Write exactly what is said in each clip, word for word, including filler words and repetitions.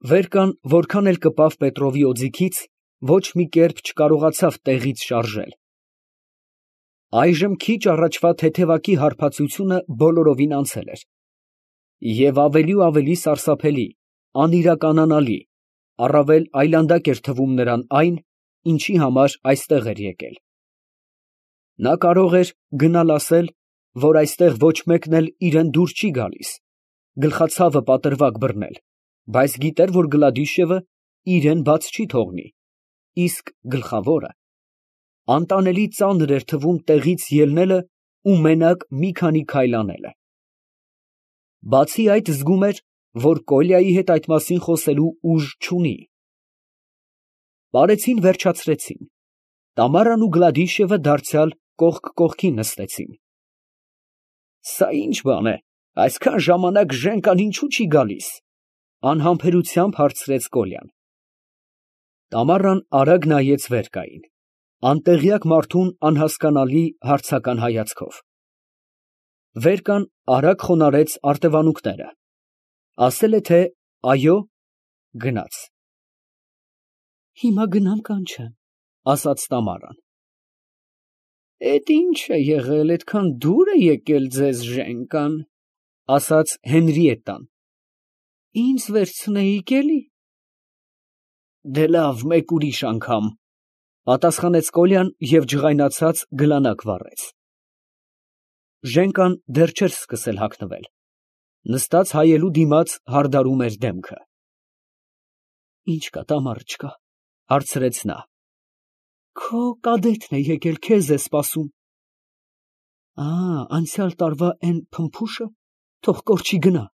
Վեր կան, որքան էլ կպավ Պետրովի օձիքից, ոչ մի կերպ չկարողացավ տեղից շարժել։ Այժմ քիչ առաջվա թեթևակի հարբածությունը բոլորովին անցել էր, և ավելի ու ավելի սարսափելի, անիրականանալի, առավել այլանդակ էր թվում նրան այն, ինչի համար այստեղ էր եկել։ Նա կարող էր գնալ ասել, որ այստեղ ոչ մեկն էլ իրան դուր չի գալիս, գլխացավը պատրվակ բռնել, բայց գիտեր, որ Գլադիշևը իրան բաց չի թողնի, իսկ գլխավորը անտանելի ծանր էր թվում տեղից ելնելը ու մենակ մի քանի քայլ անելը։ Բացի այդ զգում էր, որ Կոլյայի հետ այդ մասին խոսելու ուժ չունի։ Պարեցին վերջացրեցին, Տամարան ու Գլադիշևը դարձյալ կողք կողքի նստեցին։ Սա ի՞նչ բան է, այսքան ժամանակ Ժենկան ինչու չի գալիս, անհամբերությամբ հարցրեց Կոլյան։ Տամարան արագ նայեց վերկային, անտեղյակ մարդուն անհասկանալի հարցական հայացքով։ Վերկան արագ խոնարհեց արտևանունքները, ասել է, թե այո, գնաց։ Հիմա գնամ, կանչեմ, ասաց Տամարան։ Էդ ի՞նչ է եղել, այդքան դուր է եկել ձեզ Ժենկան, ասաց Հենրիետտան։ Ինձ վերցնեիք էլի։ Դե լավ, մեկ ուրիշ անգամ, պատասխանեց Կոլյան և ջղայնացած գլանակ վառեց։ Ժենկան դեռ չէր սկսել հագնվել, նստած հայելու դիմաց հարդարում էր դեմքը։ Ինչ կա, Տամար, չկա, հարցրեց նա։ Քո կադետն է եկել, քեզ է սպասում։ Ա, անցյալ տարվա էն փմփուշը, թող կորչի գնա։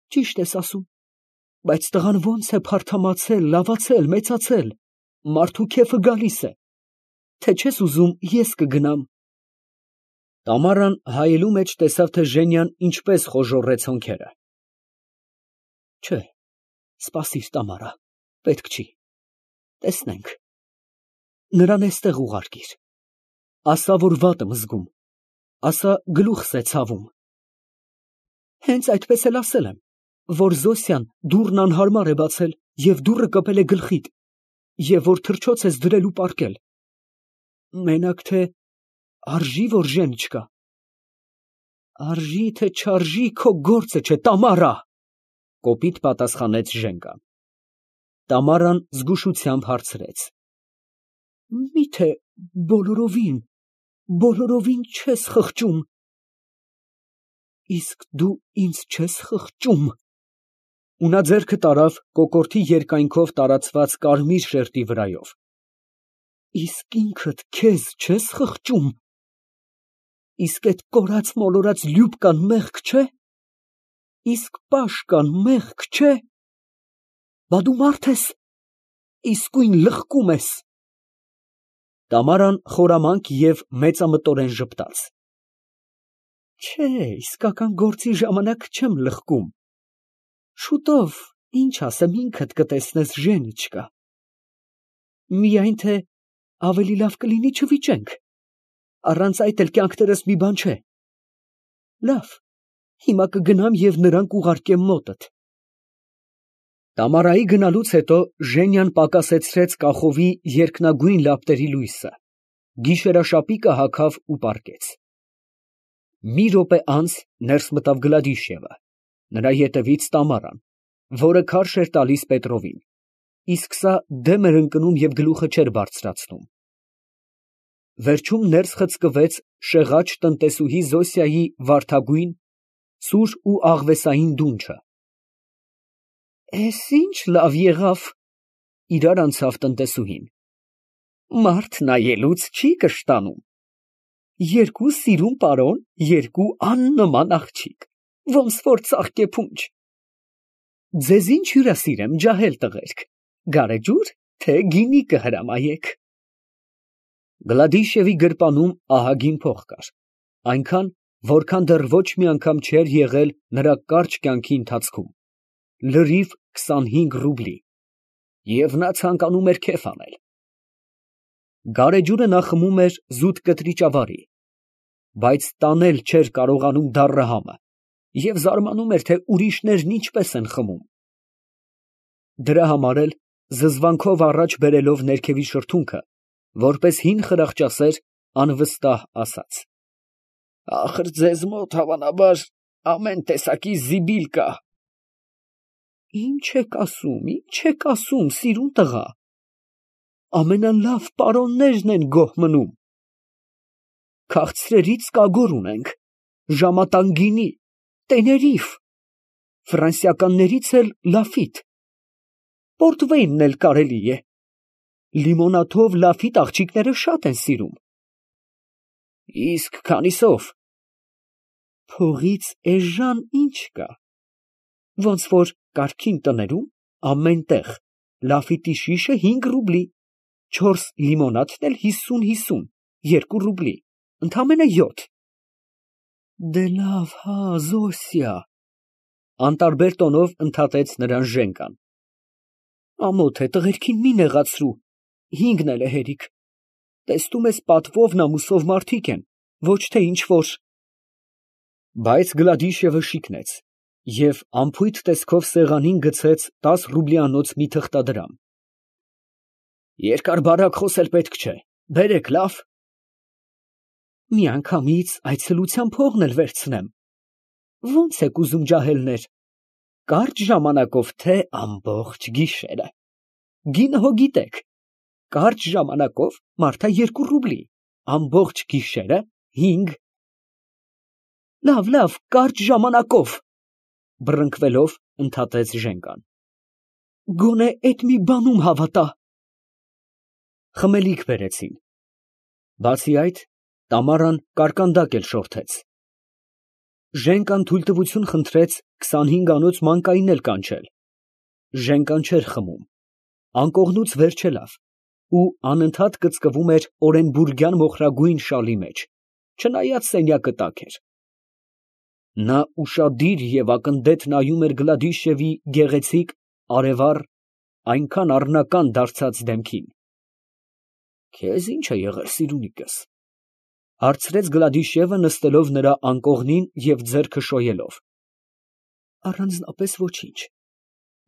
Ճիշտ ես ասում, բայց տղան ոնց է փարթամացել, լավացել, մեծացել, մարդու քեֆը գալիս է, թե չես ուզում ես կգնամ։ Տամարան հայելու մեջ տեսավ, թե Ժենյան ինչպես խոժոռեց հոնքերը։ Չէ, սպասիր, Տամարա, պետք չի, տեսնենք։ Նրան էստեղ ուղարկիր, ասա, որ վատ եմ զգում, ասա գլուխս է ցավում։ Հենց այդպես էլ ասել եմ, որ Զոսյան դուռն անհարմար է բացել և դուռը կպել է գլխիդ, և որ թռչոց ես դրել ու պառկել։ Մենակ թե արժի, որ Ժեն չկա։ Արժի, թե չարժի, քո գործը չէ, Տամարա, կոպիտ պատասխանեց Ժենկան։ Տամարան զգուշությամբ հարցրեց. Միթե բոլորովին, բոլորովին չես խղճում։ Իսկ դու ինձ չես խղճում։ Ու նա ձեռքը տարավ կոկորդի երկայնքով տարածված կարմիր շերտի վրայով։ Իսկ ինքդ քեզ չես խղճում։ Իսկ այդ կորած մոլորած լյուբկան մեղք չէ։ Իսկ պաշկան մեղք չէ։ Բա դու մարդ ես, իսկույն լղկում ես։ Տամարան խորամանկ և մեծամտորեն ժպտաց։ Չէ, իսկական գործի ժամանակ չեմ լղկում։ Շուտով, ինչ ասեմ, ինքդ կտեսնես, Ժենը չկա։ Միայն թե ավելի լավ կլինի չվիճենք, առանց այդ էլ կյանքներս մի բան չէ։ Լավ, հիմա կգնամ և նրան կուղարկեմ մոտդ։ Տամարայի գնալուց հետո Ժենյան պակասեցրեց կախովի երկնագույն լապտերի լույսը, գիշերաշապիկը հագավ ու պառկեց։ Մի րոպե անց ներս մտավ Գլադիշևը, նրա ետևից Տամարան, որը քարշ էր տալիս Պետրովին, իսկ սա դեմ էր ընկնում և գլուխը չէր բարձրացնում։ Վերջում ներս խցկվեց շեղաճ տնտեսուհի Զոսիայի վարդագույն, սուր ու աղվեսային դունչը։ Էս ինչ լավ եղավ, իրար անցավ տնտեսուհին։ Մարդ նայելուց չի կշտանում։ Երկու սիրուն պարոն, երկու աննման աղջիկ, ոնց որ ծաղկե փունջ։ Ձեզ ինչ հյուրասիրեմ, ջահել տղերք, գարեջուր, թե գինի կհրամայեք։ Գլադիշևի գրպանում ահագին փող կար, այնքան, որքան դեռ ոչ մի անգամ չէր եղել նրա կարճ կյանքի ընթացքում, լրիվ քսանհինգ ռուբլի, և նա ցանկանում էր քեֆ անել։ Գարեջուրը նա խմում էր զուտ կտրիճավարի, բայց տանել չէր կարողանում դառը համը և զարմանում էր, թե ուրիշներն ինչպես են խմում։ դրա համար էլ զզվանքով առաջ բերելով ներքևի շրթունքը, որպես հին խրախճասեր, անվստահ ասաց. Ախր ձեզ մոտ հավանաբար ամեն տեսակի զիբիլ կա։ Ինչ եք ասում, ինչ եք ասում, սիրուն տղա, ամենալավ պարոններն են գոհ մնում։ Քաղցրերից կագոր ունենք, ժամատան գինի, տեներիֆ, ֆրանսիականներից էլ լաֆիտ, պորտվեյնն էլ կարելի է, լիմոնաթով լաֆիտ աղջիկները շատ են սիրում։ Իսկ քանիսով։ Փողից էժան ինչ կա, ոնց որ կարգին տներում ամեն տեղ լաֆիտի շիշը հինգ ռուբլի, չորս լիմոնադն էլ հիսուն հիսուն, երկու ռուբլի, ընդամենը յոթ։ Դե լավ, հա, Զոսյա, անտարբեր տոնով ընդհատեց նրան Ժենկան։ Ամոթ է, տղերքին մի նեղացրու, հինգն էլ է հերիք, տեսնում ես պատվով նամուսով մարդիկ են, ոչ թե ինչ որ։ Բայց Գլադիշևը շիկնեց և անփույթ տեսքով սեղանին գցեց տաս ռուբլիանոց մի թղթադրամ։ Երկար բարակ խոսել պետք չէ, բերեք, լավ։ Միանգամից այցելության փողն էլ վերցնեմ։ Ո՞նց եք ուզում ջահելներ, կարճ ժամանակով, թե ամբողջ գիշերը։ Գինը հո գիտեք, կարճ ժամանակով մարդա երկու ռուբլի, ամբողջ գիշերը հինգ։ Լավ, լավ, կարճ ժամանակով, բռնկվելով ընդհատեց Ժենկան։ Գոնե էդ մի բանում հավատա։ Խմելիք բերեցին։ Բացի այդ, Տամարան կարկանդակ էլ շորթեց։ Ժենկան թույլտվություն խնդրեց քսանհինգանոց մանկային էլ կանչել։ Ժենկան չէր խմում, անկողնուց վեր չելավ ու անընդհատ կծկվում էր օրենբուրգյան մոխրագույն շալի մեջ, չնայած սենյակը տաք էր։ Նա ուշադիր և ակնթեթ նայում էր Գլադիշևի գեղեցիկ, արևառ, այնքան առնական դարձած դեմքին։ Քեզ ի՞նչ է եղել, սիրունիկս, հարցրեց Գլադիշևը նստելով նրա անկողնին և ձեռքը շոյելով։ Առանձնապես ոչինչ,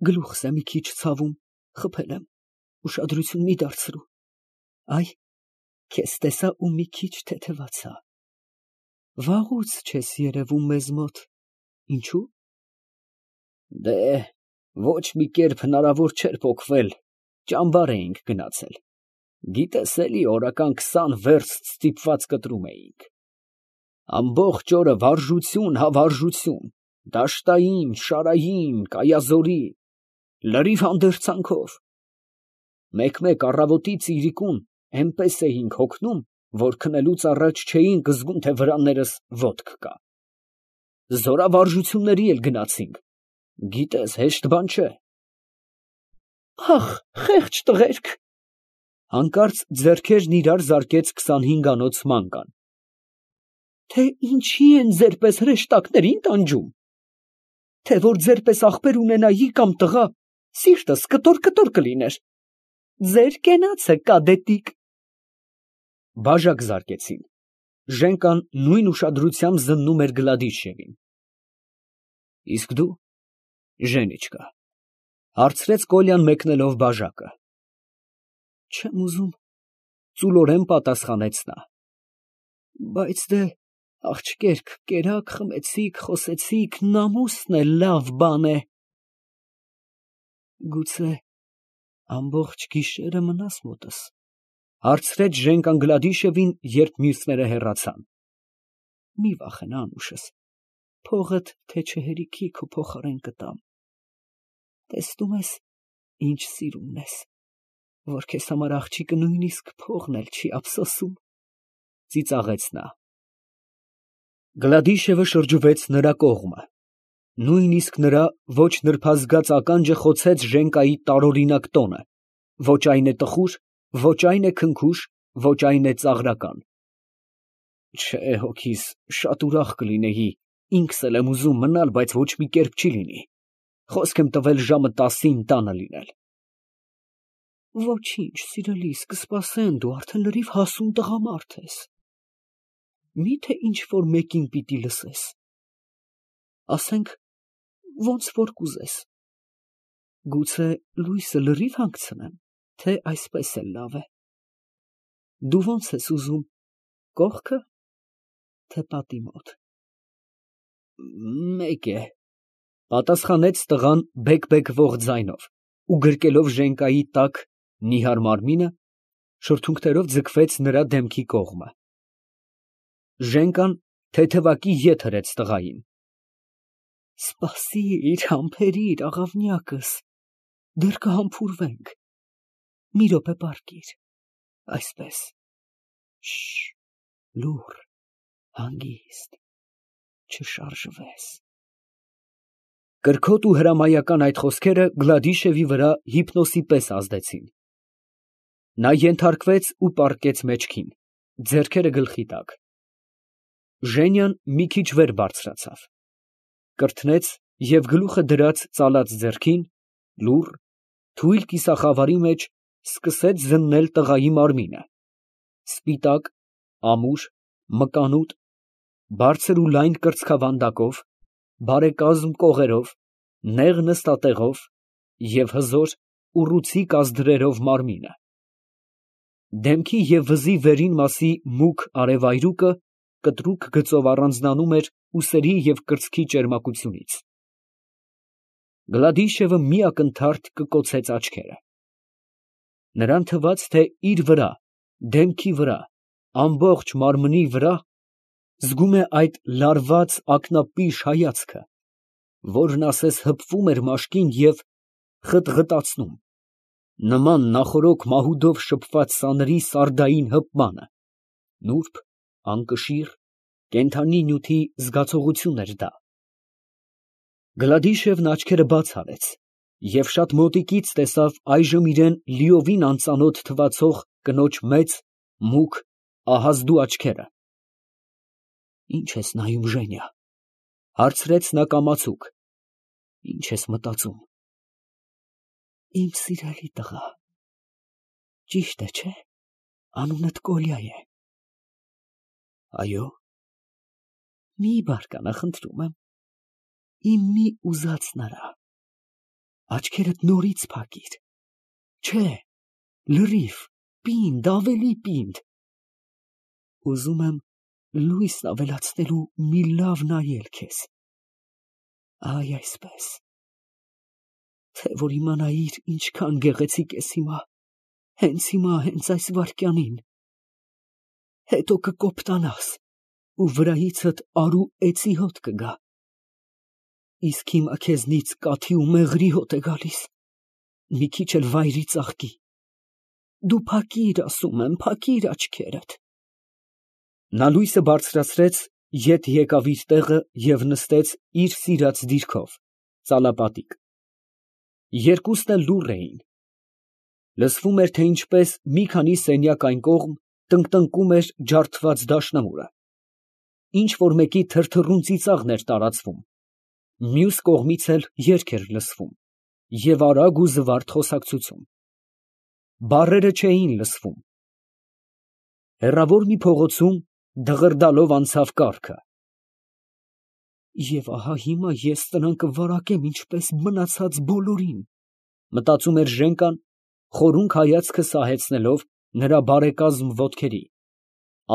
գլուխս է մի քիչ ցավում, խփել եմ, ուշադրություն մի դարձրու, այ քեզ տեսա ու մի քիչ թեթևացա։ Վաղուց չես երևում մեզ մոտ, ինչու՞։ Դե, ոչ մի կերպ հնարավոր չէր պոկվել, ճամբար էինք գնացել, գիտես էլի օրական քսան վերստ ստիպված կտրում էինք, ամբողջ օրը վարժություն հա վարժություն, դաշտային, շարային, կայազորի, լրիվ հանդերձանքով, մեկ֊մեկ առավոտի ծիրիկուն էնպես էինք հոգնում, որ քնելուց առաջ չէինք զգում, թե վրաններս ոտք կա։ Զորավարժությունների էլ գնացինք, գիտես, հեշտ բան չէ։ Ախ, խեղճ տղերք, հանկարծ ձեռքերն իրար զարկեց քսանհինգանոց մանկան։ Թե ինչի են ձեր պես հրեշտակներին տանջում, թե որ ձեր պես ախպեր ունենայի կամ տղա, սիրտս կտոր-կտոր կլիներ։ Ձեր կենացը կադետիկ։ Բաժակ զարկեցին։ Ժենկան նույն ուշադրությամբ զննում էր Գլադիշևին։ Իսկ դու, Ժենիչկա, հարցրեց Կոլյան մեկնելով բաժակը։ Չեմ ուզում, ծուլորեն պատասխանեց նա։ Բայց դե, աղջկերք, կերակ խմեցիք, խոսեցիք, նամուսն էլ լավ բան է։ Գուցե ամբողջ գիշերը մնաս մոտս, հարցրեց Ժենկան Գլադիշևին, երբ մյուսները հեռացան։ Մի վախենա, անուշս, փողդ թե չհերիքի քո փոխարեն կտամ։ Տեսնում ես, ինչ սիրունն ես, որ քեզ համար աղջիկը նույնիսկ փողն էլ չի ափսոսում, ծիծաղեց նա։ Գլադիշևը շրջվեց նրա կողմը, նույնիսկ նրա ոչ նրբազգաց ականջը խոցեց Ժենկայի տարօրինակ տոնը, ոչ այն է տխուր, ոչ այն է քնքուշ, ոչ այն է ծաղրական։ Չէ, հոգիս, շատ ուրախ կլինեի, ինքս էլ եմ ուզում մնալ, բայց ոչ մի կերպ չի լինի, խոսք եմ տվել ժամը տասին տանը լինել։ Ոչինչ, սիրելիս, կսպասեն, դու արդեն լրիվ հասուն տղամարդ ես։ Մի՞թե ինչ-որ մեկին պիտի լսես։ Ասենք, ոնց որ կուզես։ Գուցե լույսը լրիվ հանգցնեմ, թե այսպես էլ լավ է։ Դու ո՞նց ես ուզում, կողքը, թե պատի մոտ։ Մեկ է, պատասխանեց տղան բեկ֊բեկվող ձայնով ու գրկելով Ժենկայի տաք, նիհար մարմինը, շրթունքներով ձգվեց նրա դեմքի կողմը։ Ժենկան թեթևակի ետ հրեց տղային։ Սպասիր, համբերիր, աղավնյակս, դեռ կհամբուրվենք, մի րոպե պառկիր, այսպես, շշ, լուռ, հանգիստ, չշարժվես։ Կրքոտ ու հրամայական այդ խոսքերը Գլադիշևի վրա հիպնոսի պես ազդեցին։ Նա ենթարկվեց ու պառկեց մեջքին, ձեռքերը գլխի տակ։ Ժենյան մի քիչ վեր բարձրացավ, կրթնեց և գլուխը դրած ծալած ձեռքին, լուռ, թույլ կիսախավարի մեջ սկսեց զննել տղայի մարմինը, սպիտակ, ամուր, մկանուտ, բարձր ու լայն կրծքավանդակով, բարեկազմ կողերով, նեղ նստատեղով և հզոր, ուռուցիկ ազդրերով մարմինը։ Դեմքի և վզի վերին մասի մուգ արևայրուկը կտրուկ գծով առանձնանում էր ուսերի և կրծքի ճերմակությունից։ Գլադիշևը մի ակնթարթ կկոցեց աչքերը։ Նրան թվաց, թե իր վրա, դեմքի վրա, ամբողջ մարմնի վրա զգում է այդ լարված ակնապիշ հայացքը, որն ասես հպվում էր մաշկին և խտղտացնում, նման նախօրոք մահուդով շփված սաների սարդային հպմանը, նուրբ, անկշիռ, կենդանի նյութի զգացողություն էր դա։ Գլադիշևն աչքերը բաց արեց և շատ մոտիկից տեսավ այժմ իրան լիովին անծանոթ թվացող կնոջ մեծ, մուգ, ահազդու աչքերը։ Ի՞նչ ես նայում, Ժենիա, ֊ հարցրեց նա կամացուկ, ֊ ի՞նչ ես մտածում։ Իմ սիրելի տղա, ճիշտ է, չէ՞, անունդ Կոլյա է։ Այո։ Մի բարկանա, խնդրում եմ, իմ մի ուզածն արա, աչքերդ նորից փակիր, չէ, լրիվ, պինդ, ավելի պինդ, ուզում եմ լույսն ավելացնելու մի լավ նայել քեզ, այ այսպես, թե որ իմանայիր ինչքան գեղեցիկ ես հիմա, հենց հիմա, հենց այս վայրկյանին, հետո կկոպտանաս ու վրայիցդ արու էծի հոտ կգա, իսկ հիմա քեզնից կաթի ու մեղրի հոտ է գալիս, մի քիչ էլ վայրի ծաղկի, դու փակիր, ասում եմ, փակիր աչքերդ։ Նա լույսը բարձրացրեց, ետ եկավ իր տեղը և նստեց իր սիրած դիրքով, ծալապատիկ։ Երկուսն էլ լուռ էին։ Լսվում էր, թե ինչպես մի քանի սենյակ այն կողմ տնկտնկում էր ջարդված դաշնամուրը, ինչ֊որ մեկի թրթռուն ծիծաղն էր տարածվում, մյուս կողմից էլ երգ էր լսվում և արագ ու զվարթ խոսակցություն։ Բառերը չէին լսվում։ Հեռավոր մի փողոցում դղրդալով անցավ կառքը։ Եվ ահա հիմա ես նրան կվարակեմ ինչպես մնացած բոլորին, մտածում էր Ժենկան, խորունկ հայացքը սահեցնելով նրա բարեկազմ ոտքերի,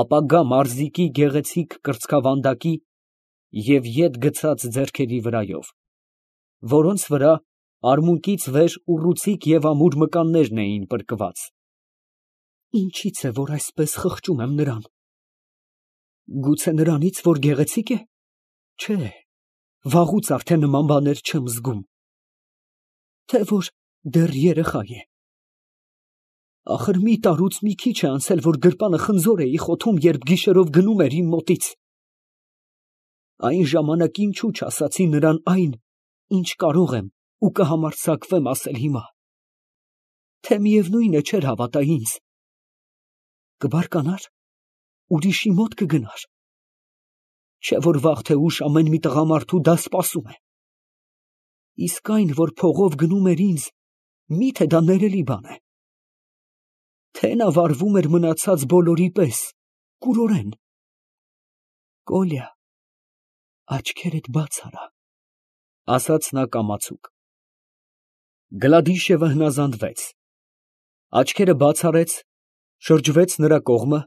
ապագա մարզիկի գեղեցիկ կրծքավանդակի և ետ գցած ձեռքերի վրայով, որոնց վրա արմունկից վեր ուռուցիկ և ամուր մկաններն էին պրկված։ Ինչի՞ց է, որ այսպես խղճում եմ նրան։ Գուցե նրանից, որ գեղեցիկ է։ Չէ, վաղուց արդեն նման բաներ չեմ զգում։ Թե որ դեռ երեխա է։ Ախր մի տարուց մի քիչ է անցել, որ գրպանը խնձոր էի խոթում, երբ գիշերով գնում էր իմ մոտից։ Այն ժամանակ ինչու չասացի նրան այն, ինչ կարող եմ ու կհամարձակվեմ ասել հիմա։ Թե միևնույն է, չէր հավատա ինձ։ Կբարկանա՞ր, ուրիշի մոտ կգնար։ Չէ որ վաղ թե ուշ ամեն մի տղամարդու դա սպասում է։ Իսկ այն, որ փողով գնում էր ինձ, մի՞թե դա ներելի բան է։ Թե նա վարվում էր մնացած բոլորի պես, կուրորեն։ Կոլյա, աչքերդ բաց արա, ասաց նա կամացուկ։ Գլադիշևը հնազանդվեց, աչքերը բաց արեց, շրջվեց նրա կողմը,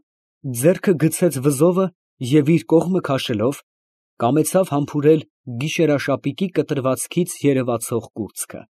ձեռքը գցեց վզովը և իր կողմը քաշելով, կամեցավ համբուրել գիշերաշապիկի կտրվածքից երևացող կուրծքը։